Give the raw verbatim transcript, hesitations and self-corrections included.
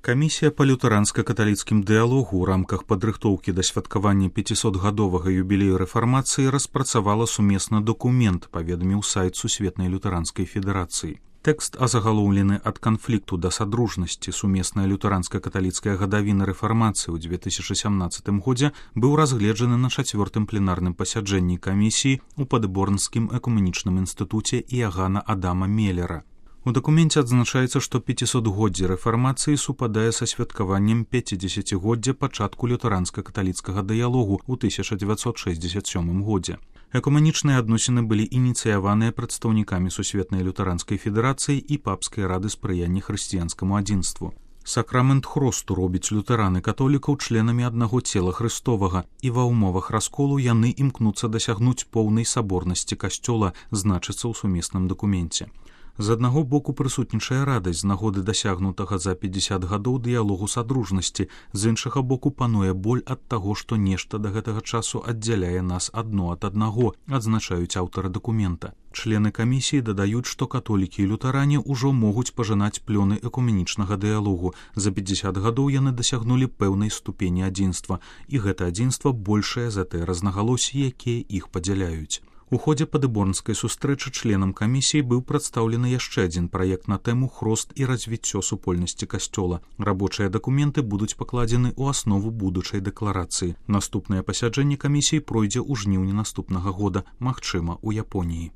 Камісія па лютэранска-каталіцкім дыялогу ў рамках падрыхтоўкі да святкавання пяцісотгадовага юбілею рэфармацыі распрацавала сумесны дакумент, паведаміў сайт Сусветнай лютэранскай федэрацыі. Тэкст азагалоўлены ад канфлікту да садружнасці. Сумесная лютэранска-каталіцкая гадавіна рэфармацыі ў дзве тысячы сямнаццатым годзе быў разгледжаны на чацвёртым пленарным пасяджэнні камісіі ў падборнскім экуменічным інстытуце Іагана Адама Меллера. У дакуменце адзначаецца, што пяцісотгоддзе рэфармацыі супадае са святкаваннем пяцідзесяцігоддзя пачатку лютэранска-каталіцкага дыялогу ў тысяча дзевяцьсот шэсцьдзесят сёмым годзе. Экуменічныя адносіны былі ініцыяваныя прадстаўнікамі Сусветнай лютэранскай федэрацыі і папскай рады спрыяння хрысціянскаму адзінству. Сакрамент хросту робіць лютэран і католікаў членамі аднаго цела Хрыстовага, і ва ўмовах расколу яны імкнуцца дасягнуць поўнай саборнасці касцёла, значыцца ў сумесным дакуменце. З аднаго боку прысутнічае радасць з нагоды дасягнутага за пяцьдзесят гадоў дыялогу садружнасці, з іншага боку пануе боль ад таго, што нешта да гэтага часу аддзяляе нас адно ад аднаго, адзначаюць аўтары дакумента. Члены камісіі дадаюць, што католікі і лютаране ўжо могуць пажынаць плёны экуменічнага дыялогу. За пяцьдзесят гадоў яны дасягнулі пэўнай ступені адзінства, і гэта адзінства большае за тыя рознагалоссі, якія іх падзяляюць. У ходзе падыборнскай сустрэчы членам камісіі быў прадстаўлены яшчэ адзін праект на тэму «Хрост і развіццё супольнасці касцёла». Рабочыя дакументы будуць пакладзены ў аснову будучай дэкларацыі. Наступнае пасяджэнне камісіі пройдзе ў жніўні наступнага года, магчыма, у Японіі.